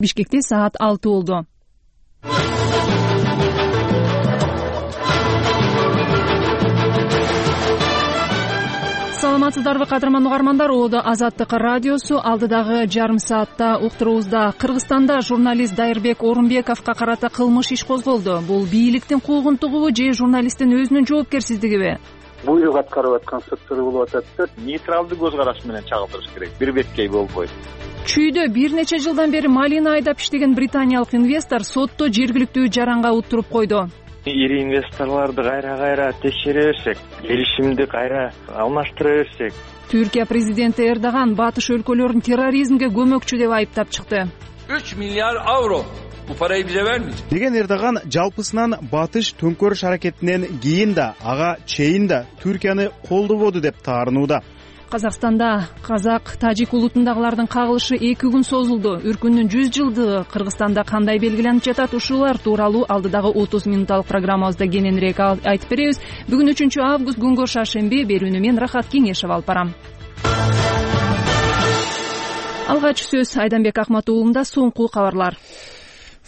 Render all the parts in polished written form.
Бишкекте саат 6 болду. Саламатсыздарбы кадырман угармандар, Оодо Азаттык радиосу. Алдыдагы жарым саатта уктуруубузда Кыргызстанда журналист Дайырбек Орунбековго карата кылмыш иш козголду. Бул бийликтин куугунтугубу же журналисттин өзүнүн жоопкерсиздигиби? Буйрук аткарып аткан структура болуп атат да, нейтралдуу көз караш менен чагылдырыш керек. Бир беткей болбойт. Чүйдө бир нече жылдан бери малина айдап иштеген британиялык инвестор сотто жергиликтүү жаранга уттуруп койду. Ири инвесторлорду кайра текшере берсек, келишимди кайра алмаштыра берсек. Түркия президенти Эрдоган батыш өлкөлөрүн терроризмге көмөкчү деп айыптап чыкты. 3 milyar avro. Bu parayı bize vermeyecek. Деген Эрдоган жалпысынан батыш төңкөрүш аракетинен кийин да, ага чейин да Түркияны колдободу деп таарынууда. Казакстанда казак-тажик улутундагылардын кагылышы 2 күн созулду. Үркүндүн 100 жылдыгы Кыргызстанда кандай белгиленип жатат? Ушулар тууралуу алдыдагы 30 минутталык программабызда кененирээк айтып беребиз. Бүгүн 3 август күнгө шаршемби, берүүнү мен Рахат Кеңешев алып барам. Алгач сөз Айданбек Акматуулунда. Соңку кабарлар.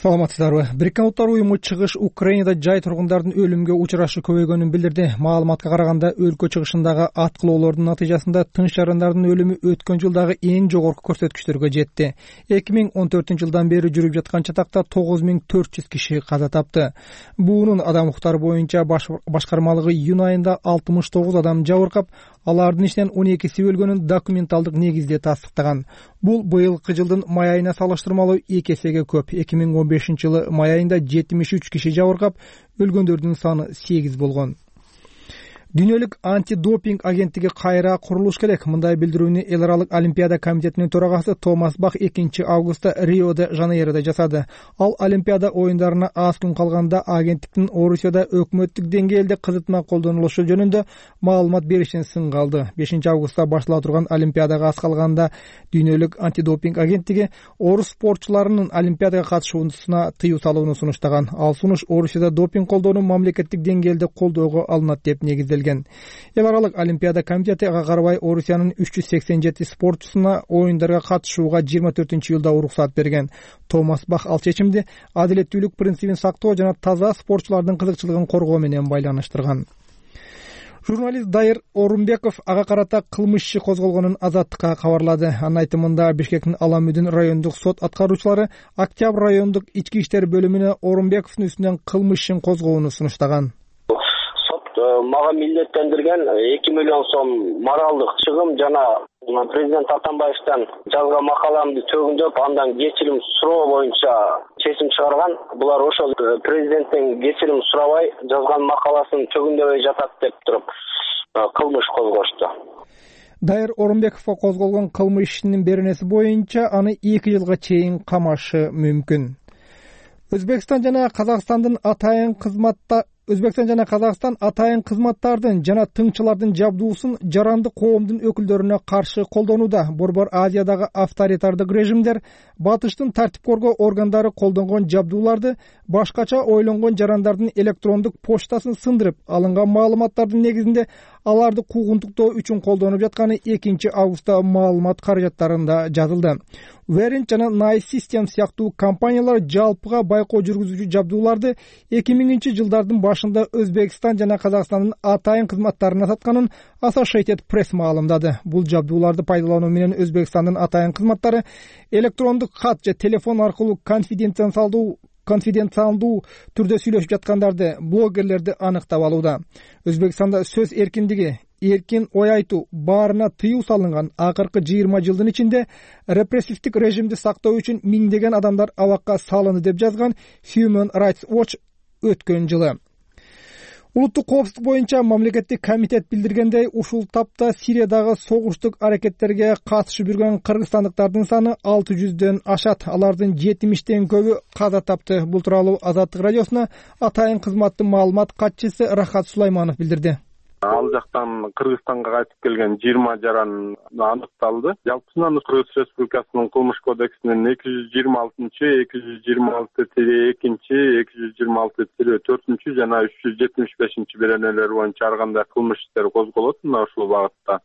Саламатсыздарбы. Бириккен Улуттар уюму чыгыш Украинада жай тургундардын өлүмгө учурашы көбөйгөнүн билдирди. Маалыматка караганда, өлкө чыгышындагы аткылоолордун натыйжасында тынч жарандардын өлүмү өткөн жылдагы эң жогорку көрсөткүчтөргө жетти. 2014-жылдан бери жүрүп жаткан чатакта 9400 киши каза тапты. Буунун адам укуктары боюнча башкармалыгы июнь айында 69 адам жабыркап, алардын ичинен 12си өлгөнүн документалдык негизде тастыктаган. Бул быйылкы жылдын май айына салыштырмалуу 2 эсеге көп. 2015-жылы май айында 73 киши жабыркап, өлгөндөрдүн саны 8 болгон. Дүйнөлүк антидопинг агенттиги кайра курулуш керек. Мындай билдирүүнү Эл аралык олимпиада комитетинин төрагасы Томас Бах 2 августта Рио-де-Жанейрода жасады. Ал олимпиада оюндарына аз күн калганда агенттиктин Орусияда өкмөттүк деңгээлде кызытма колдонулушу жөнүндө маалымат беришин сынга алды. 5 августта баштала турган олимпиадага аз калганда дүйнөлүк антидопинг агенттиги орус спортчуларынын олимпиадага катышуусуна тыюу салууну сунуштаган. Ал сунуш Орусияда допинг колдоону мамлекеттик деңгээлде колдоого алынат деп негизделген. Эл аралык олимпиада комитети ага карабай Орусиянын 387 спортчусуна оюндарга катышууга 24-июлда уруксат берген. Томас Бах ал чечимди адилеттүүлүк принцибин сактоо жана таза спортчулардын кызыкчылыгын коргоо менен байланыштырган. Журналист Дайыр Орунбеков ага карата кылмыш иши козголгонун Азаттыкка кабарлады. Анын айтымында Бишкектин Аламүдүн райондук сот аткаруучулары Октябрь райондук ички иштер бөлүмүнө Орунбековдун үстүнөн кылмыш ишин козгоону сунуштаган. Мага милдеттендирген 2 миллион сом моралдык чыгым жана президент Атамбаевден жазган макаламды төгүндөп, андан кечирим суроо боюнча чечим чыгарган. Булар ошол президенттен кечирим сурабай жазган макаласын төгүндөбөй жатат деп туруп кылмыш козгошту. Дайыр Орунбековго козголгон кылмыш ишинин беренеси боюнча аны 2 жылга чейин камашы мүмкүн. Өзбекстан жана Казакстан атайын кызматтардын жана тыңчылардын жабдуусун жарандык коомдун өкүлдөрүнө каршы колдонууда. Борбор Азиядагы авторитардык режимдер батыштын тартип коргоо органдары колдонгон жабдууларды башкача ойлонгон жарандардын электрондук почтасын сындырып, алынган маалыматтардын негизинде аларды куугунтуктоо үчүн колдонуп жатканы 2 августта маалымат каражаттарында жазылды. Verint жана Nice System сыяктуу компаниялар жалпыга байкоо жүргүзүүчү жабдууларды 2000-жылдардын башында Өзбекстан жана Казакстандын атайын кызматтарына сатканын Associated Press маалымдады. Бул жабдууларды пайдалануу менен Өзбекстандын атайын кызматтары электрондук кат же телефон аркылуу конфиденциалдуу түрдө сүйлөшүп жаткандарды, блогерлерди аныктап алууда. Өзбекстанда сөз эркиндиги, эркин ой айтуу баарына тыюу салынган. Акыркы 20 жылдын ичинде репрессивдик режимди сактоо үчүн миңдеген адамдар абакка салынды деп жазган Human Rights Watch өткөн жылы. Улуттук коопсуздук боюнча мамлекеттик комитет билдиргендей, ушул тапта Сириядагы согуштук аракеттерге катышып жүргөн кыргызстандыктардын саны 600дөн ашат. Алардын 70тен көбү каза тапты. Бул тууралуу Азаттык радиосуна атайын кызматтын маалымат катчысы Рахат Сулайманов билдирди. Ал жактан Кыргызстанга кайтып келген 20 жаран аныкталды. Жалпысынан Кыргыз Республикасынын кылмыш кодексинин 226-226-2, 226-4 жана 375 беренелер боюнча ар кандай кылмыш иштери козголот мына ушул багытта.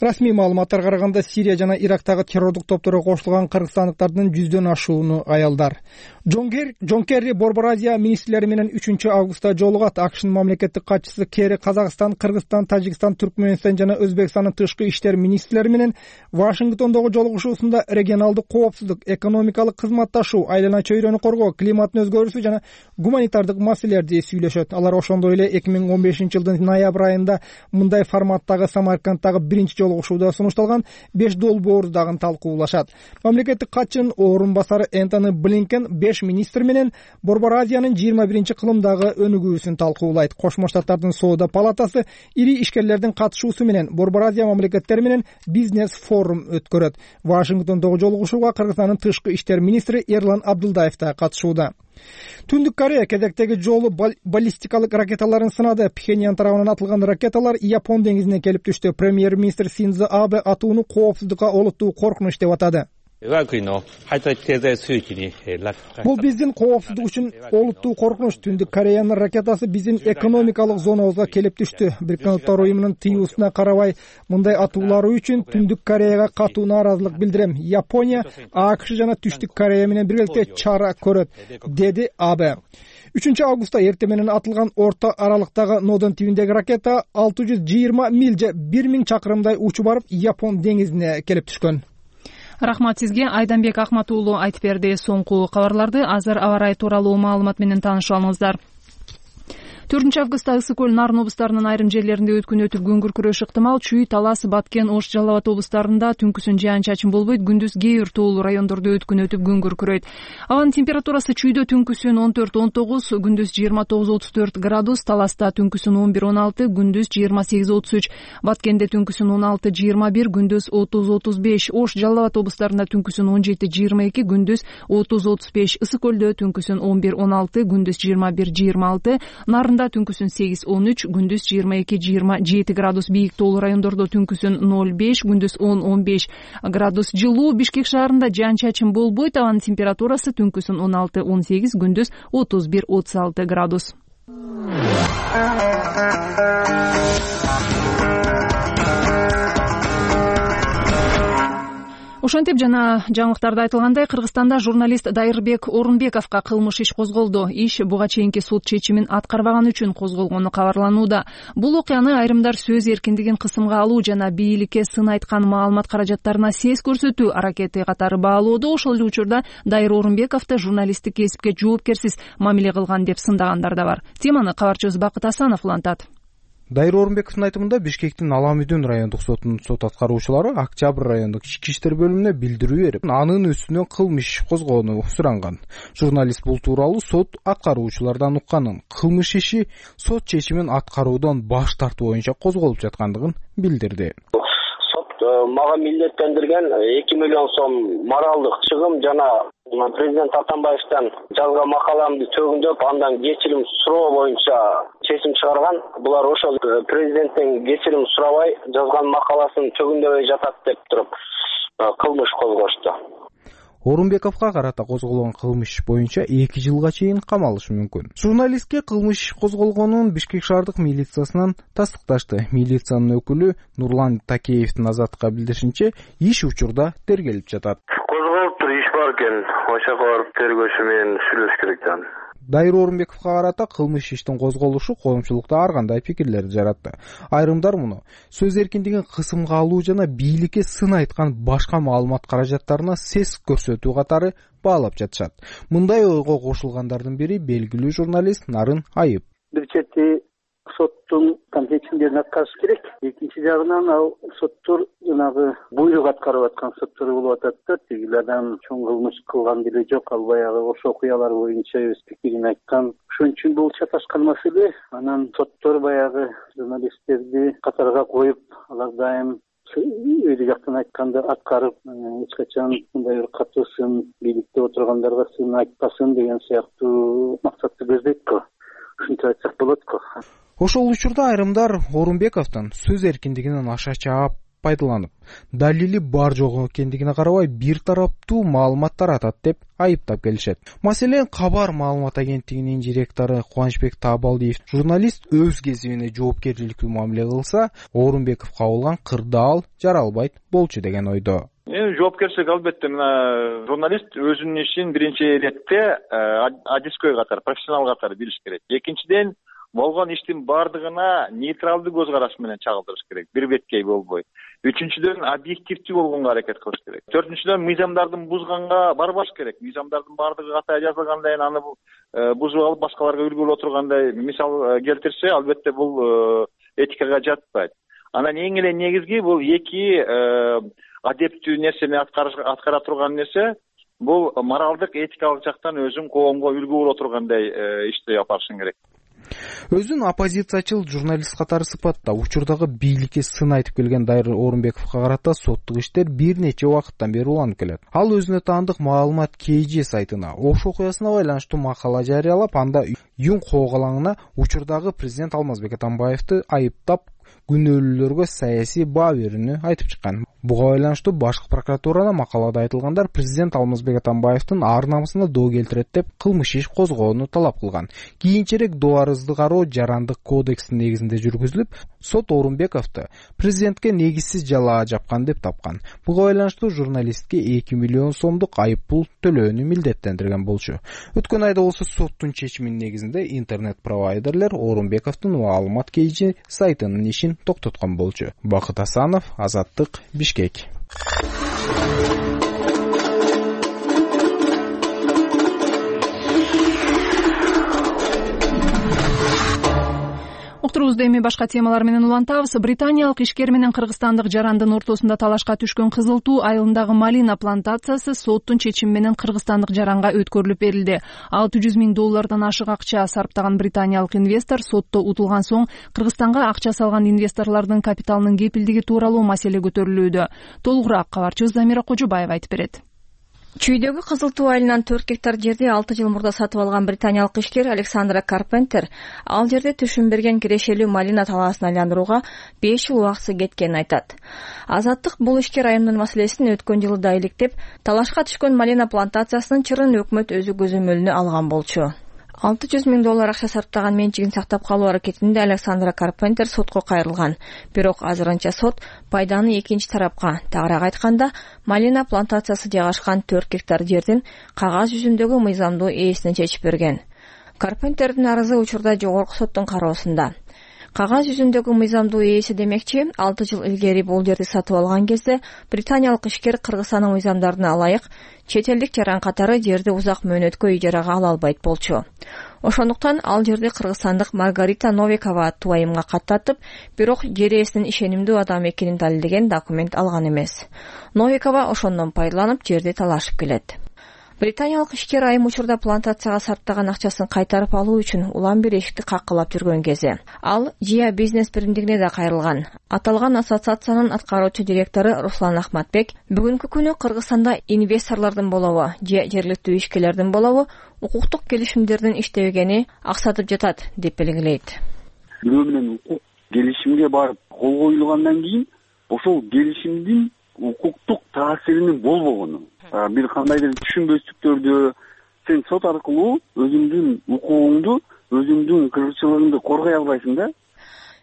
Расмий маалыматтарга караганда Сирия жана Ирактагы террордук топторго кошулган кыргызстандыктардын 100дөн ашууну аялдар. Джон Керри Борбор Азия министрлери менен 3-августта жолугат. АКШнын мамлекеттик катчысы Керри Казакстан, Кыргызстан, Тажикстан, Түркмөнстан жана Өзбекстандын тышкы иштер министрлери менен Вашингтондогу жолугушуусунда регионалдык коопсуздук, экономикалык кызматташуу, айлана чөйрөнү коргоо, климаттын өзгөрүүсү жана гуманитардык маселелерди сүйлөшөт. Алар ошондой эле 2015-жылдын ноябрь айында мындай форматтагы Самаркандтагы биринчи жолугушууда сунушталган 5 долбоорду дагы талкуулашат. Мамлекеттик катчынын орун басары Энтони Блинкен 5 министр менен Борбор Азиянын 21-кылымдагы өнүгүүсүн талкуулайт. Кошмо Штаттардын соода палатасы ири ишкерлердин катышуусу менен Борбор Азия мамлекеттери менен бизнес форум өткөрөт. Вашингтондогу жолугушууга Кыргызстандын тышкы иштер министри Эрлан Абдулдаев да катышууда. Түндүк Корея кезектеги жолу баллистикалык ракеталарын сынады. Пхеньян тарабынан атылган ракеталар Япон деңизине келип түштү. Премьер-министр Синдзо Абе атууну коопсуздукка олуттуу коркунуч деп атады. Бул биздин коопсуздук үчүн олуттуу коркунуч. Түндүк Кореянын ракетасы биздин экономикалык зонабызга келип түштү. Бириккен Улуттар уюмунун тыюусуна карабай мындай атуулары үчүн Түндүк Кореяга катуу нааразылык билдирем. Япония, АКШ жана Түштүк Корея менен биргеликте чара көрөт, деди Абе. 3-августта эртең менен атылган орто аралыктагы Нодон тибиндеги ракета 620 миль же 1000 чакырымдай учуп барып Япон деңизине келип түшкөн. Рахмат сизге. Айданбек Акмат уулу айтып берди. Соңку кабарларды азыр аба ырайы тууралуу маалымат менен таанышып алыңыздар. 4-августта Ысык көл, Нарын облустарынын айрым жерлеринде өткөн өтүп күн күркүрөшү ыктымал. Чүй, Талас, Баткен, Ош, Жалал Абад облустарында түнкүсүн жаан-чачын болбойт. Күндүз кээ бир тоолуу райондордо өткөн өтүп күн күркүрөйт. Абанын температурасы Чүйдө түнкүсүн 14-19, күндүз 29-34 градус, Таласта түнкүсүн 11-16, күндүз 28-33, Баткенде түнкүсүн 16-21, күндүз 30-35, Ош, Жалал Абад облустарында түнкүсүн 17-22, күндүз 30-35, Ысык көлдө түнкүсүн 11-16, күндүз 21-26, Нарында түнкүсүн 8-13, күндүз 22-27 градус, бийик тоолуу райондордо түнкүсүн 0-5, күндүз 10-15 градус жылуу. Бишкек шаарында жаан-чачын болбойт. Абанын температурасы түнкүсүн 16-18, күндүз 31-36 градус. Ошентип жана жаңылыктарда айтылгандай, Кыргызстанда журналист Дайырбек Орунбековго кылмыш иш козголду. Иш буга чейинки суд чечимин аткарбаганы үчүн козголгону кабарланууда. Бул окуяны айрымдар сөз эркиндигин кысымга алуу жана бийликке сын айткан маалымат каражаттарына сес көрсөтүү аракети катары баалоодо. Ошол эле учурда Дайыр Орунбековду журналисттик кесипке жоопкерсиз мамиле кылган деп сындагандар да бар. Теманы кабарчыбыз Бакыт Асанов улантат. Дайыр Орунбековдун айтымында Бишкектин Аламүйдүн райондук сотунун сот аткаруучулары Октябрь райондук ички иштер бөлүмүнө билдирүү берип, анын үстүнө кылмыш иш козгоону суранган. Журналист бул тууралуу сот аткаруучулардан укканын, кылмыш иши сот чечимин аткаруудан баш тартуу боюнча козголуп жаткандыгын билдирди. Мага милдеттендирген 2 миллион сом моралдык чыгым жана президент Атамбаевден жазган макаламды төгүндөп, андан кечирим суроо боюнча чечим чыгарган. Булар ошол президенттен кечирим сурабай жазган макаласын төгүндөбөй жатат деп туруп кылмыш козгошту. Орунбековго карата козголгон кылмыш боюнча 2 жылга чейин камалышы мүмкүн. Журналистке кылмыш козголгонун Бишкек шаардык милициясынан тастыкташты. Милициянын өкүлү Нурлан Такеевдин Азаттыкка билдиришинче, иш учурда тергелип жатат. Козголуптур, иш бар экен. Ошого барып тергөөчү менен сүйлөшүш керек да. Дайыр Орунбековго карата кылмыш иштин козголушу коомчулукта ар кандай пикирлерди жаратты. Айрымдар муну сөз эркиндигин кысымга алуу жана бийликке сын айткан башка маалымат каражаттарына сес көрсөтүү катары баалап жатышат. Мындай ойго кошулгандардын бири белгилүү журналист Нарын Айып. Бир чети соттун компетенцияларын аткарыш керек. Экинчи жагынан ал соттор жанагы буйрук аткарып аткан соттор болуп атат да. Тигилерден чоң кылмыш кылган деле жок. Ал баягы ошо окуялар боюнча өз пикирин айткан. Ошон үчүн бул чаташкан маселе. Анан соттор баягы журналисттерди катарга коюп, алар дайым өйдө жактан айтканды аткарып, эч качан мындай бир катуу сын бийликте отургандарга сын айтпасын деген сыяктуу максатты көздөйт го. Ушинтип айтсак болот го. Ошол учурда айрымдар Орунбековдун сөз эркиндигинин аша чаап пайдаланып, далили бар жок экендигине карабай бир тараптуу маалымат таратат деп айыптап келишет. Маселен, Кабар маалымат агенттигинин директору Кубанычбек Таабалдиев журналист өз кезибине жоопкерчиликтүү мамиле кылса, Орунбековго кабылган кырдаал жаралбайт болчу деген ойдо. Жоопкерчилик албетте мына журналист өзүнүн ишин биринчи иретте адискөй катары, профессионал катары билиш керек. Экинчиден, болгон иштин бардыгына нейтралдуу көз караш менен чагылдырыш керек, бир беткей болбой. Үчүнчүдөн, объективдүү болгонго аракет кылыш керек. Төртүнчүдөн, мыйзамдардын бузганга барбаш керек. Мыйзамдардын бардыгы катаа жазылгандай, аны бузуп алып башкаларга үлгү боло тургандай мисал келтирсе, албетте бул этикага жатпайт. Анан эң эле негизги бул эки адептүү нерсени аткара турган нерсе, бул моралдык, этикалык жактан өзүң коомго үлгү боло тургандай ишти алып барышың керек. Өзүн оппозициячыл журналист катары сыпаттап, учурдагы бийликке сын айтып келген Дайыр Орунбековго карата соттук иштер бир нече убакыттан бери уланып келет. Ал өзүнө таандык маалымат KG сайтына ош окуясына байланыштуу макала жарыялап, анда Юн Когалаңына учурдагы президент Алмазбек Атамбаевди айыптап, күнөөлүүлөргө саясий баа берүүнү айтып чыккан. Буга байланыштуу башкы прокуратурана макалада айтылгандар президент Алмазбек Атамбаевдин ар намысына доо келтирет деп кылмыш иш козгоону талап кылган. Кийинчерээк доо арызды кароо жарандык кодекстин негизинде жүргүзүлүп, сот Орунбековду президентке негизсиз жалаа жапкан деп тапкан. Буга байланыштуу журналистке 2 миллион сомдук айып пул төлөөнү милдеттендирген болчу. Өткөн айда болсо соттун чечиминин негизинде интернет-провайдерлер Орунбековдун маалымат KG сайтынын ишин токтоткон болчу. Бакыт Асанов, Азаттык, Бишкек. Уктуруубузду эми башка темалар менен улантабыз. Британиялык ишкер менен кыргызстандык жарандын ортосунда талашка түшкөн Кызыл Туу айылындагы малина плантациясы соттун чечими менен кыргызстандык жаранга өткөрүлүп берилди. $600,000 ашык акча сарптаган британиялык инвестор сотто утулган соң Кыргызстанга акча салган инвесторлордун капиталынын кепилдиги тууралуу маселе көтөрүлүүдө. Толугураак кабарчыбыз Замира Кожобаева айтып берет. Чүйдөгү Кызыл Туу айылынан 4 гектар жерди 6 жыл мурда сатып алган британиялык ишкер Александра Карпентер ал жерде түшүм берген кирешелүү малина талаасын айландырууга 5 жыл убакыты кеткенин айтат. Азаттык бул ишкер айымдын маселесин өткөн жылы да иликтеп, талашка түшкөн малина плантациясынын чырын өкмөт өзү көзөмөлүнө алган болчу. $600,000 акча сарптаган менчигин сактап калуу аракетинде Александра Карпентер сотко кайрылган. Бирок азырынча сот пайданы экинчи тарапка, тагыраак айтканда, малина плантациясы жайгашкан 4 гектар жердин кагаз жүзүндөгү мыйзамдуу ээсине чечип берген. Карпентердин арызы учурда жогорку соттун кароосунда. Кагаз жүзүндөгү мыйзамдуу ээси демекчи, 6 жыл илгери бул жерди сатып алган кезде британиялык ишкер Кыргызстандын мыйзамдарына ылайык чет элдик жаран катары жерди узак мөөнөткө ижарага ала албайт болчу. Ошондуктан ал жерди кыргызстандык Маргарита Новикова аттуу айымга каттатып, бирок жер ээсинин ишенимдүү адам экенин далилдеген документ алган эмес. Новикова ошондон пайдаланып жерди талашып келет. Британиялык ишкер айым учурда плантацияга сарптаган акчасын кайтарып алуу үчүн улам бир эшикти каккылап жүргөн кези. Ал Жия бизнес биримдигине да кайрылган. Аталган ассоциациянын аткаруучу директору Руслан Ахматбек бүгүнкү күнү Кыргызстанда инвесторлордун болобу, же жергиликтүү ишкерлердин болобу укуктук келишимдердин иштебегени аксатып жатат деп белгилейт. Бирөө менен укук келишимге барып кол коюлгандан кийин ошол келишимдин укуктук таасиринин болбогону, бир кандайдыр түшүнбөстүктөрдү сен сот аркылуу өзүңдүн укугуңду, өзүңдүн кыргызчылыгыңды коргой албайсың да.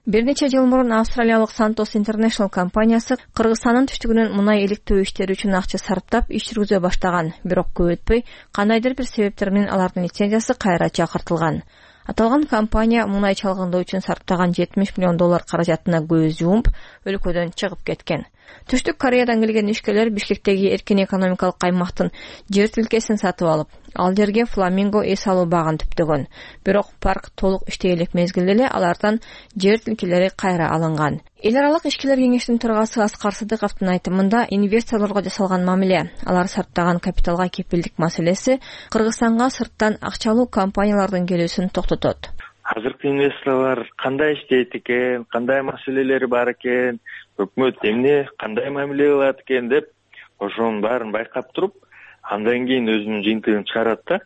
Бир нече жыл мурун австралиялык Santos International компаниясы Кыргызстандын түштүгүнөн мунай иликтөө иштери үчүн акча сарптап иш жүргүзө баштаган, бирок көп өтпөй кандайдыр бир себептер менен алардын лицензиясы кайра чакыртылган. Аталган компания мунай чалгындоо үчүн сарптаган $70 миллион каражатына көз жумуп, өлкөдөн чыгып кеткен. Түштүк Кореядан келген ишкерлер Бишкектеги эркин экономикалык аймактын жер тилкесин сатып алып, ал жерге фламинго эс алуу багын түптөгөн. Бирок парк толук иштей элек мезгилде эле алардан жер тилкелери кайра алынган. Эл аралык ишкерлер кеңешинин төрагасы Аскар Сыдыковдун айтымында инвесторлорго жасалган мамиле, алар сарптаган капиталга кепилдик маселеси Кыргызстанга сырттан акчалуу компаниялардын келүүсүн токтотот. Азыркы инвесторлор кандай иштейт экен, кандай маселелери бар экен, өкмөт эмне кандай мамиле кылат экен деп ошонун баарын байкап туруп, андан кийин өзүнүн жыйынтыгын чыгарат да.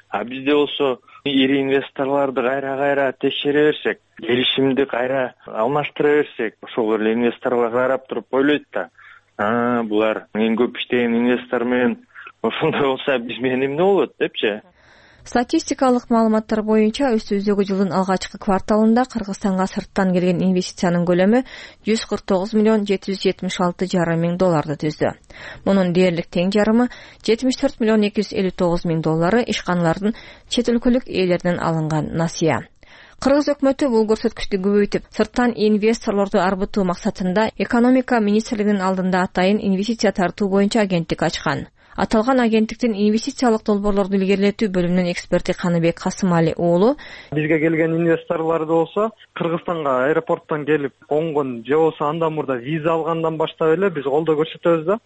А бизде болсо ири инвесторлорду кайра текшере берсек, келишимди кайра алмаштыра берсек, ошол эле инвесторлор карап туруп ойлойт да, булар эң көп иштеген инвестор менен ошондой болсо биз менен эмне болот депчи. Статистикалык маалыматтар боюнча өстүбүздөгү жылдын алгачкы кварталында Кыргызстанга сырттан келген инвестициянын көлөмү 149 миллион 776,5 миң долларды түздү. Мунун дээрлик тең жарымы 74 миллион 259 миң доллары ишканалардын чет өлкөлүк ээлеринен алынган насыя. Кыргыз өкмөтү бул көрсөткүчтү көбөйтүп, сырттан инвесторлорду арбытуу максатында экономика министрлигинин алдында атайын инвестиция тартуу боюнча агенттик ачкан. Аталган агенттиктин инвестициялык долбоорлорду илгерилетүү бөлүмүнүн эксперти Каныбек Касымали уулу бизге келген инвесторлорду болсо Кыргызстанга аэропорттон келип конгон же болбосо андан мурда виза алгандан баштап эле биз колдоо көрсөтөбүз да.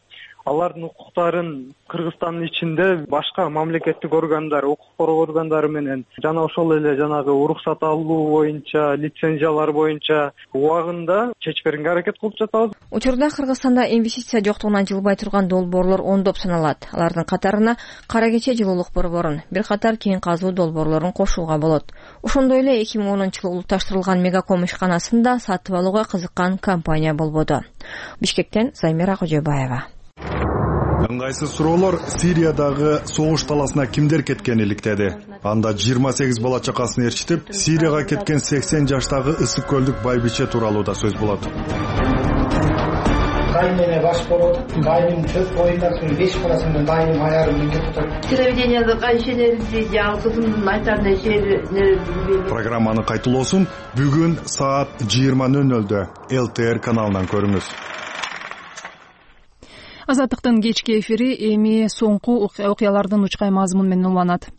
Алардын укуктарын Кыргызстандын ичинде башка мамлекеттик органдар, укук коргоо органдары менен жана ошол эле жанагы уруксат алуу боюнча, лицензиялар боюнча убагында чечип берүүгө аракет кылып жатабыз. Учурда Кыргызстанда инвестиция жоктугунан жылбай турган долбоорлор ондоп саналат. Алардын катарына Кара Кече жылуулук борборун, бир катар кең казуу долбоорлорун кошууга болот. Ошондой эле 2010-жылы улутташтырылган Мегаком ишканасында сатып алууга кызыккан компания болбоду. Бишкектен Займира Кожобаева. Ыңгайсыз суроолор Сириядагы согуш таласына кимдер кеткени иликтеди. Анда 28 бала чакасын ээрчитип, Сирияга кеткен 80 жаштагы Ысык көлдүк байбиче тууралуу да сөз болот. Дайыме баш болот, дайым 4 боюнда 5 баласынын дайым аяры менге турат. Телевидениеде кайшелерди жаңы кызымдын айтар нерселери. Программанын кайтылоосун бүгүн саат 20:00 ЛТР каналынан көрүңүз. Азаттыктын кечки эфири эми соңку окуялардын учкай мазмун менен уланат.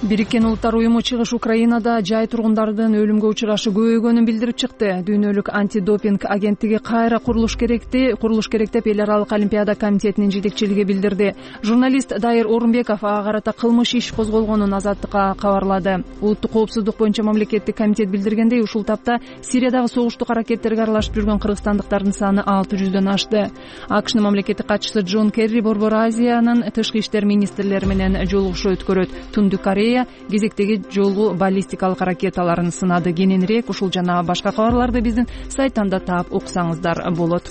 Бириккен Улуттар уюму чыгыш Украинада жай тургундардын өлүмгө учурашы көбөйгөнүн билдирип чыкты. Дүйнөлүк антидопинг агенттиги кайра курулуш керек деп Эл аралык олимпиада комитетинин жетекчилиги билдирди. Журналист Дайыр Орунбеков ага карата кылмыш иш козголгонун Азаттыкка кабарлады. Улуттук коопсуздук боюнча мамлекеттик комитет билдиргендей, ушул тапта Сириядагы согуштук аракеттерге аралашып жүргөн кыргызстандыктардын саны 600дөн ашты. АКШнын мамлекеттик катчысы Джон Керри Борбор Азиянын тышкы иштер министрлери менен жолугушуу өткөрөт. Түндүк Корея кезектеги жолу баллистикалык ракеталарын сынады. Кененирээк ушул жана башка кабарларды биздин сайттан да таап уксаңыздар болот.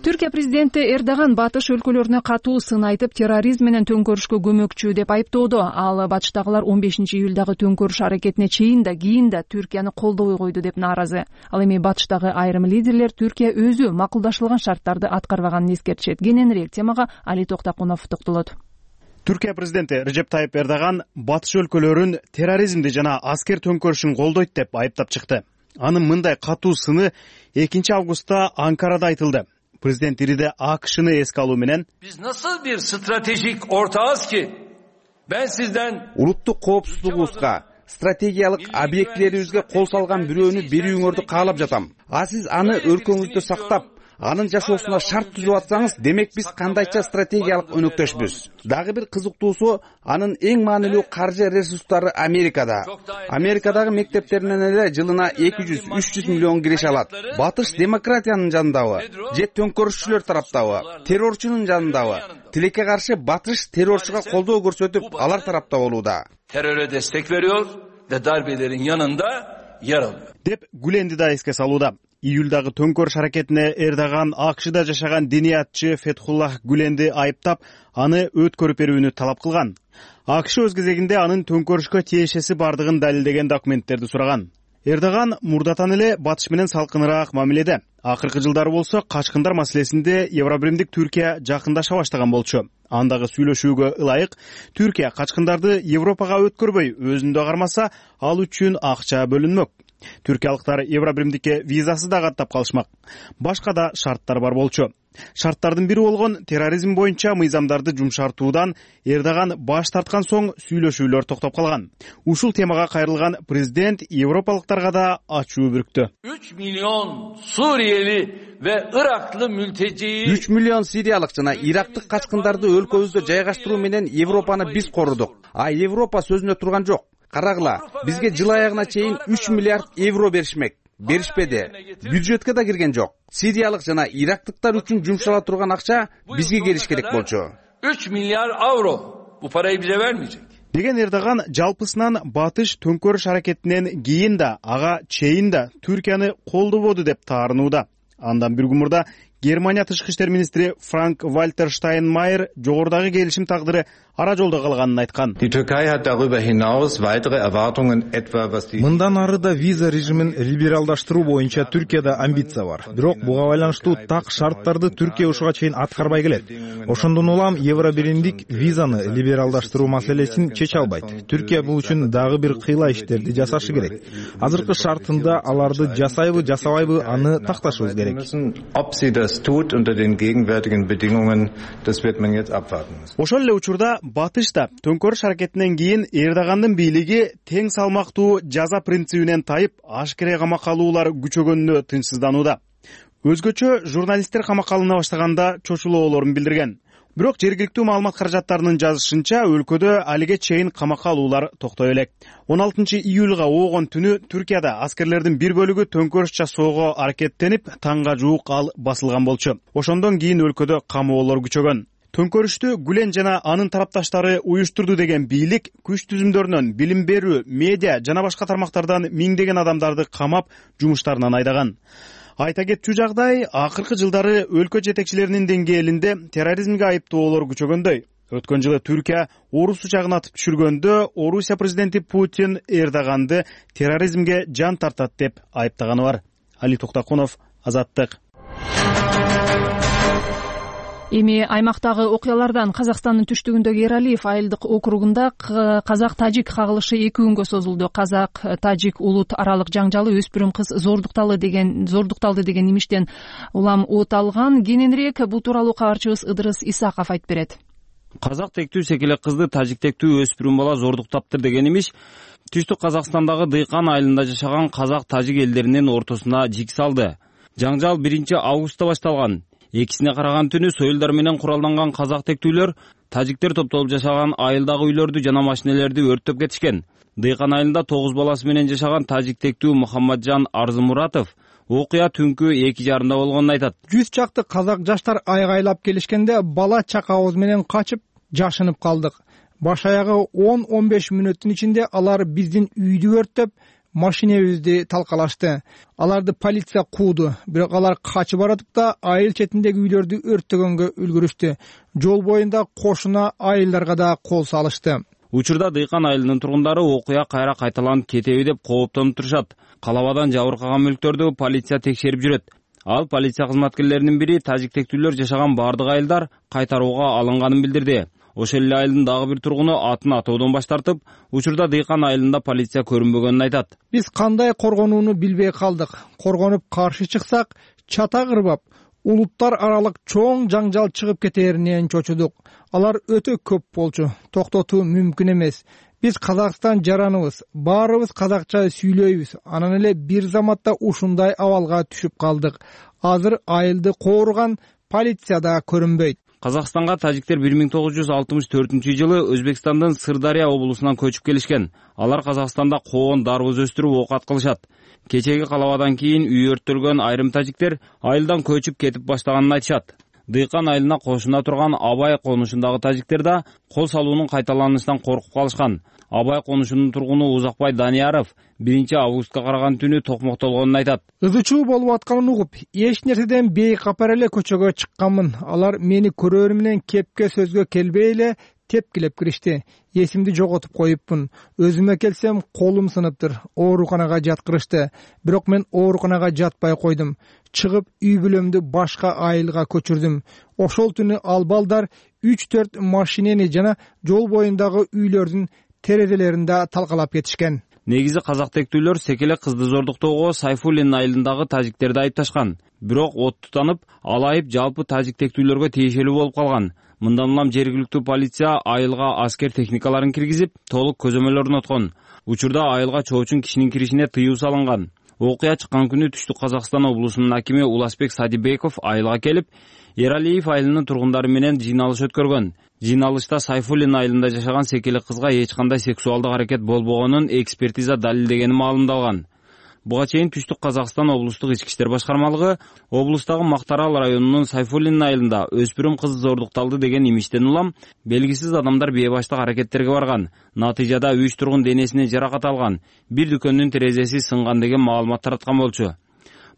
Түркия президенти Эрдоган батыш өлкөлөрүнө катуу сын айтып, терроризм менен төңкөрүшкө көмөкчү деп айыптоодо. Ал батыштагылар 15-июлдагы төңкөрүш аракетине чейин да кийин да Түркияны колдобой койду деп нааразы. Ал эми батыштагы айрым лидерлер Түркия өзү макулдашылган шарттарды аткарбаганын эскертишет. Кененирээк темага Али Токтакунов токтолот. Түркия президенти Режеп Тайып Эрдоган батыш өлкөлөрүн терроризмди жана аскер төңкөрүшүн колдойт деп айыптап чыкты. Анын мындай катуу сыны 2-августта Анкарада айтылды. Президент Ириде АКШны эске алуу менен Biz nasıl bir stratejik ortağız ki ben sizden улуттук коопсуздугубузга, стратегиялык объектилерибизге кол салган бирөөнү берүүңөрдү каалап жатам. Сиз аны өлкөңүздө сактап, анын жашоосуна шарт түзүп атсаңыз, демек биз кандайча стратегиялык өнөктөшпүз. Дагы бир кызыктуусу, анын эң маанилүү каржы ресурстары Америкада. Америкадагы мектептеринен эле жылына 200-300 миллион киреше алат. Батыш демократиянын жанындабы, же төңкөрүшчүлөр тараптабы, террорчунун жанындабы? Тилекке каршы батыш террорчуга колдоо көрсөтүп, алар тарапта болууда. Teröre destek veriyor ve darbelerin yanında yer alıyor. Деп Гүленди да эске салууда. Июлдагы төңкөрүш аракетине Эрдоган АКШда жашаган диниятчы Фетхуллах Гүленди айыптап, аны өткөрүп берүүнү талап кылган. АКШ өз кезегинде анын төңкөрүшкө тиешеси бардыгын далилдеген документтерди сураган. Эрдоган мурдатан эле батыш менен салкыныраак мамиледе. Акыркы жылдары болсо качкындар маселесинде Евробиримдик Түркия жакындаша баштаган болчу. Андагы сүйлөшүүгө ылайык Түркия качкындарды Европага өткөрбөй, өзүндө кармаса, ал үчүн акча бөлүнмөк. Түркиялыктар Евробиримдикке визасыз да каттап калышмак. Башка да шарттар бар болчу. Шарттардын бири болгон терроризм боюнча мыйзамдарды жумшартуудан Эрдоган баш тарткан соң сүйлөшүүлөр токтоп калган. Ушул темага кайрылган президент европалыктарга да ачуу бүрктү. 3 milyon Suriyeli ve Iraklı mülteci 3 миллион сириялык жана ирактык качкындарды өлкөбүздө жайгаштыруу менен Европаны биз корудук. Европа сөзүнө турган жок. Карагыла, бизге жыл аягына чейин 3 миллиард евро беришмек. беришпеди. Бюджетке да кирген жок. Сириялык жана ирактыктар үчүн жумшала турган акча бизге келиш керек болчу. 3 milyar avro. Bu parayı bize vermeyecek. Деген Эрдоган жалпысынан батыш төңкөрүш аракетинен кийин да, ага чейин да Түркияны колдободу деп таарынууда. Андан бир күн мурда Германия тышкы иштер министри Франк Вальтер Штайнмайер жогорудагы келишим тагдыры ара жолдо калганын айткан. Мындан ары да виза режимин либералдаштыруу боюнча Түркияда амбиция бар. Бирок буга байланыштуу так шарттарды Түркия ушуга чейин аткарбай келет. Ошондон улам Евробиримдик визаны либералдаштыруу маселесин чече албайт. Түркия бул үчүн дагы бир кыйла иштерди жасашы керек. Азыркы шартында аларды жасайбы, жасабайбы аны такташыбыз керек. Ошол эле учурда батышта төңкөрүш аракетинен кийин Эрдогандын бийлиги тең салмактуу жаза принцибинен тайып, ашкере камакка алуулар күчөгөнүнө тынчсызданууда. Өзгөчө журналисттер камакка алына баштаганда чочулоолорун билдирген. Бирок жергиликтүү маалымат каражаттарынын жазышынча, өлкөдө алиге чейин камакка алуулар токтой элек. 16-июлга оогон түнү Түркияда аскерлердин бир бөлүгү төңкөрүш жасоого аракеттенип, таңга жуук ал басылган болчу. Ошондон кийин өлкөдө камоолор күчөгөн. Төңкөрүштү Гүлен жана анын тарапташтары уюштурду деген бийлик күч түзүмдөрүнөн билим берүү, медиа жана башка тармактардан миңдеген адамдарды камап, жумуштарынан айдаган. Айта кетчү жагдай, акыркы жылдары өлкө жетекчилеринин деңгээлинде терроризмге айыптоолор күчөгөндөй. Өткөн жылы Түркия орус учагын атып түшүргөндө Орусия президенти Путин Эрдоганды терроризмге жан тартат деп айыптаганы бар. Али Токтакунов, Азаттык. Эми аймактагы окуялардан Казакстандын түштүгүндөгү Эралиев айылдык округунда казак-тажик кагылышы 2 күнгө созулду. Казак-тажик улут аралык жаңжалы өспүрүм кыз зордукталды деген имиштен улам от алган. Кененирээк бул тууралуу кабарчыбыз Ыдырыс Исаков айтып берет. Казак тектүү секелек кызды тажик тектүү өспүрүм бала зордуктаптыр деген имиш түштүк Казакстандагы Дыйкан айылында жашаган казак-тажик элдеринин ортосуна жик салды. Жаңжал 1-августта башталган. Экисине караган түнү союлдар менен куралданган казак тектүүлөр тажиктер топтолуп жашаган айылдагы үйлөрдү жана машинелерди өрттөп кетишкен. Дыйкан айылында 9 баласы менен жашаган тажик тектүү Мухаммаджан Арзымуратов окуя түнкү 2:30 болгонун айтат. 100 чакты казак жаштар айгайлап келишкенде бала чакабыз менен качып жашынып калдык. Баш аягы 10-15 мүнөттүн ичинде алар биздин үйдү өрттөп, машинебизди талкалашты. Аларды полиция кууду, бирок алар качып баратып да айыл четиндеги үйлөрдү өрттөгөнгө үлгүрүштү. Жол боюнда кошуна айылдарга да кол салышты. Учурда Дыйкан айылынын тургундары окуя кайра кайталанып кетеби деп кооптонуп турушат. Калабадан жабыркаган мүлктөрдү полиция текшерип жүрөт. Ал полиция кызматкерлеринин бири тажик тектүүлөр жашаган бардык айылдар кайтарууга алынганын билдирди. Ошол эле айылдын дагы бир тургуну атын атоодон баш тартып, учурда Дыйкан айылында полиция көрүнбөгөнүн айтат. Биз кандай коргонууну билбей калдык. Коргонуп каршы чыксак, чата кырбап, улуттар аралык чоң жаңжал чыгып кетээринен чочудук. Алар өтө көп болчу. Токтотуу мүмкүн эмес. Биз Казакстан жараныбыз, баарыбыз казакча сүйлөйбүз. Анан эле бир заматта ушундай абалга түшүп калдык. Азыр айылды кооруган полиция да көрүнбөйт. Казакстанга тажиктер 1964-жылы Өзбекстандын Сырдария облусунан көчүп келишкен. Алар Казакстанда коон, дарбыз өстүрүп оокат кылышат. Кечеги калабадан кийин үй өрттөлгөн айрым тажиктер айылдан көчүп кетип баштаганын айтышат. Дыйкан айылына кошуна турган Абай конушундагы тажиктер да кол салуунун кайталанышынан коркуп калышкан. Абай конушунун тургуну Узакбай Данияров 1-августка караган түнү токмоктолгонун айтат. Ызычуу болуп атканын угуп, эч нерседен бейкапар эле көчөгө чыкканмын. Алар мени көрөр менен кепке сөзгө келбей эле тепкилеп киришти. Эсимди жоготуп коюпмун. Өзүмө келсем колум сыныптыр. Ооруканага жаткырышты. Бирок мен ооруканага жатпай койдум. Чыгып үй бүлөмдү башка айылга көчүрдүм. Ошол түнү ал балдар 3-4 машинени жана жол боюндагы үйлөрдүн терезелеринде талкалап кетишкен. Негизи казак тектүүлөр секелек кызды зордуктоого Сайфуллин айылындагы тажиктерди айыпташкан. Бирок от тутанып, ал айып жалпы тажик тектүүлөргө тиешелүү болуп калган. Мындан улам жергиликтүү полиция айылга аскер техникаларын киргизип, толук көзөмөл орноткон. Учурда айылга чоочун кишинин киришине тыюу салынган. Окуя чыккан күнү Түштүк Казакстан облусунун акими Уласбек Садибеков айылга келип, Эралиев айылынын тургундары менен жыйналыш өткөргөн. Жыйналышта Сайфуллин айылында жашаган секелек кызга эч кандай сексуалдык аракет болбогонун экспертиза далилдегени маалымдалган. Буга чейин Түштүк Казакстан облустук ички иштер башкармалыгы облустагы Мактарал районунун Сайфуллин айылында өспүрүм кыз зордукталды деген имиштен улам белгисиз адамдар бейбаштык аракеттерге барган. Натыйжада 3 тургун денесине жаракат алган, бир дүкөндүн терезеси сынган деген маалымат тараткан болчу.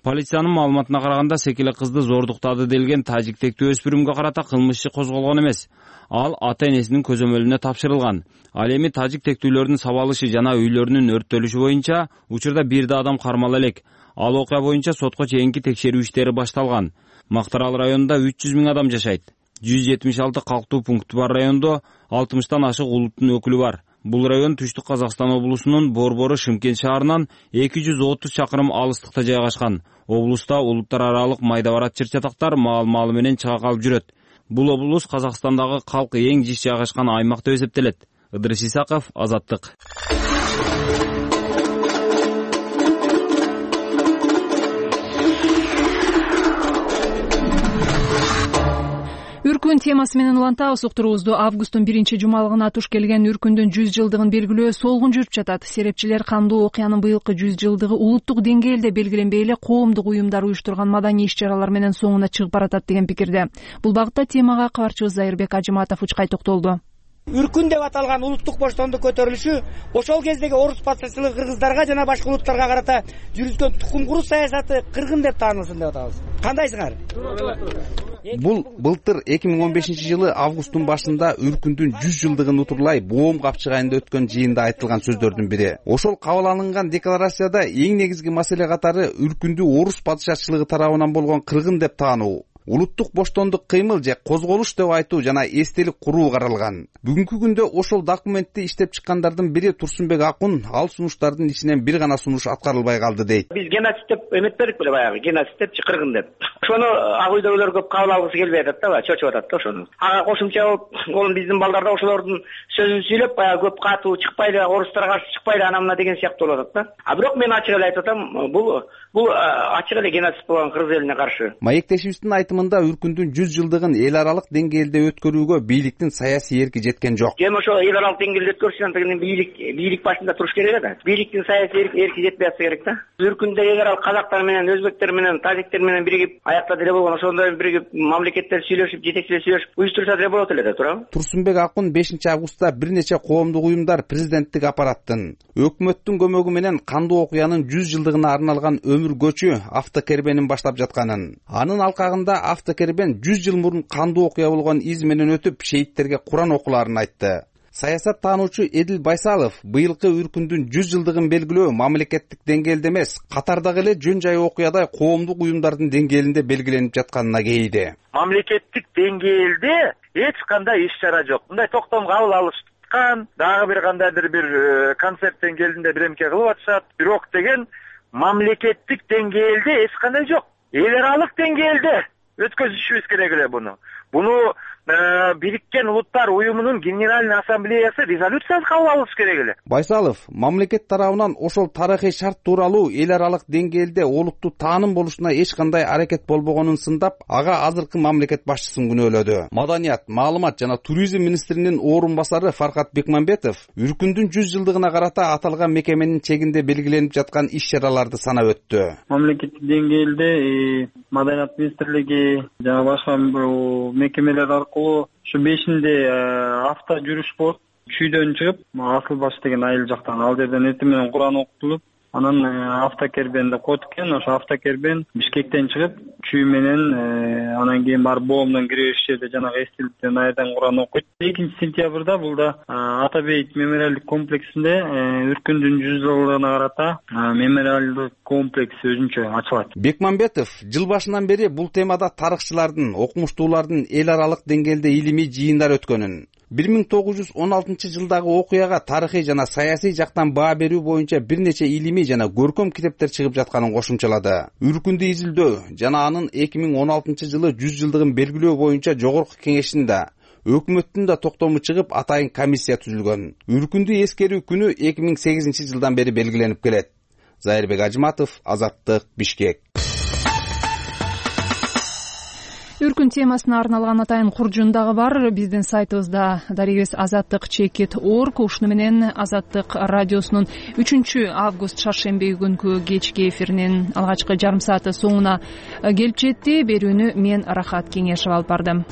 Полициянын маалыматына караганда секеле кызды зордуктады делген тажиктектүү өспүрүмгө карата кылмыш иши козголгон эмес. Ал ата-энесинин көзөмөлүнө тапшырылган. Ал эми тажиктектүүлөрдүн сабалышы жана үйлөрүнүн өрттөлүшү боюнча учурда бир да адам кармала элек. Ал окуя боюнча сотко чейинки текшерүү иштери башталган. Мактарал районунда 300 000 адам жашайт. 176 калктуу пункти бар райондо 60тан ашык улуттун өкүлү бар. Бул район Түштүк Казакстан облусунун Борбору Шымкент шаарынан 230 чакырым алыстыкта жайгашкан. Облуста улуттар аралык майда барат чыр-чатактар маал-маалы менен чыга калып жүрөт. Бул облус Казакстандагы калкы эң жиш жайгашкан аймак деп эсептелет. Ыдырыс Исаков, Азаттык. Үркүн темасы менен улантабыз уктуруубузду. Августтун 1-жумалыгына туш келген үркүндүн 100 жылдыгын белгилөө солгун жүрүп жатат. Серепчилер кандуу окуянын быйылкы 100 жылдыгы улуттук деңгээлде белгиленбей эле коомдук уюмдар уюштурган маданий иш-чаралар менен соңуна чыгып баратат деген пикирде. Бул багытта темага кабарчыбыз Зайырбек Ажыматов учкай токтолду. Үркүн деп аталган улуттук боштондук көтөрүлүшү ошол кездеги орус патшачылыгы кыргыздарга жана башка улуттарга карата жүргүзгөн тукум куруу саясаты кыргын деп таанылсын деп атабыз. Кандайсыңар? Бул былтыр 2015-жылы августтун башында үркүндүн 100 жылдыгын утурлай Боом капчыгайында өткөн жыйында айтылган сөздөрдүн бири. Ошол кабыл алынган декларацияда эң негизги маселе катары үркүндү орус патшачылыгы тарабынан болгон кыргын деп таануу, улуттук боштондук кыймыл же козголуш деп айтуу жана эстелик куруу каралган. Бүгүнкү күндө ошол документти иштеп чыккандардын бири Турсунбек Акун ал сунуштардын ичинен бир гана сунуш аткарылбай калды дейт. Биз геноцид деп эметпедик беле баягы, геноцид депчи кыргын деп. Ошону ак үйдөгүлөр көп кабыл алгысы келбей атат да, чочуп атат да ошону. Ага кошумча болуп, биздин балдар да ошолордун сөзүн сүйлөп, баягы көп катуу чыкпайлы, орустарга каршы чыкпайлы ана мына деген сыяктуу болуп атат да. А бирок мен ачык эле айтып атам, бул ачык эле геноцид болгон кыргыз элине каршы. Маектешибиздин айтымында үркүндүн 100 жылдыгын эл аралык деңгээлде өткөрүүгө бийликтин саясий эрки жеткен жок. Эми ошо эл аралык деңгээлде өткөрүш үчүн бийлик башында туруш керек да. Бийликтин саясий эрки жетпей атса керек да. Үркүндө эл аралык казактар менен, өзбектер менен, тажиктер менен биригип аяктады эле болгон, ошондой биригип мамлекеттер сүйлөшүп, жетекчилер сүйлөшүп уюштурса деле болот эле да, туурабы? Турсунбек Акун 5-августта бир нече коомдук уюмдар президенттик аппараттын, өкмөттүн көмөгү менен кандуу окуянын 100 жылдыгына арналган өмүр көчү автокербенин баштап жатканын, анын алкагында автокербен 100 жыл мурун кандуу окуя болгон из менен өтүп шейттерге Куран окуларын айтты. Саясат таануучу Эдил Байсалов быйылкы үркүндүн 100 жылдыгын белгилөө мамлекеттик деңгээлде эмес, катардагы эле жөн жай окуядай коомдук уюмдардын деңгээлинде белгиленип жатканына кейиди. Мамлекеттик деңгээлде эч кандай иш-чара жок. Мындай токтом кабыл алышкан, дагы бир кандайдыр бир концерт деңгээлинде биремке кылып атышат. Бирок деген мамлекеттик деңгээлде эч кандай жок. Эл аралык деңгээлде өткөзүшүбүз керек эле буну. Бириккен Улуттар уюмунун Генеральный ассамблеясы резолюция кабыл алыш керек эле. Байсалов мамлекет тарабынан ошол тарыхый шарт тууралуу эл аралык деңгээлде олуттуу тааным болушуна эч кандай аракет болбогонун сындап, ага азыркы мамлекет башчысын күнөөлөдү. Маданият, маалымат жана туризм министринин орун басары Фаркат Бекмамбетов үркүндүн 100 жылдыгына карата аталган мекеменин чегинде белгиленип жаткан иш-чараларды санап өттү. Мамлекеттик деңгээлде Маданият министрлиги жана башка мекемелер аркылуу ушу 5-inde авто жүрүш болот. Чүйдөн чыгып, Асыл баш деген айыл жактан ал жерден эртең менен Куран окутулуп, анан автокербен деп коет экен. Ошо автокербен Бишкектен чыгып, чүй менен анан кийин барып Боомдон киребиш жерде жанагы эстеликтен айдан Куран окуйт. 2-сентябрда бул да Ата Бейит мемориалдык комплексинде үркүндүн 100 жылдыгына карата мемориалдык комплекс өзүнчө ачылат. Бекмамбетов жыл башынан бери бул темада тарыхчылардын, окумуштуулардын эл аралык деңгээлде илимий жыйындар өткөнүн, 1916 жылдагы окуяга тарыхый жана саясий жактан баа берүү боюнча бир нече илимий жана көркөм китептер чыгып жатканын кошумчалады. Үркүндү изилдөө жана анын 2016 жылы 100 жылдыгын белгилөө боюнча жогорку кеңешинде өкмөттүн да токтому чыгып, атайын комиссия түзүлгөн. Үркүндү эскерүү күнү 2008 жылдан бери белгиленип келет. Зайырбек Ажыматов, Азаттык, Бишкек. Үркүн темасына арналган атайын куржун дагы бар. Биздин сайтыбызда дарегибиз azattik.org. Ушуну менен Азаттык радиосунун 3-август шаршемби күнкү кечки эфиринин алгачкы жарым сааты соңуна келип жетти. Берүүнү мен Рахат Кеңешов алып бардым.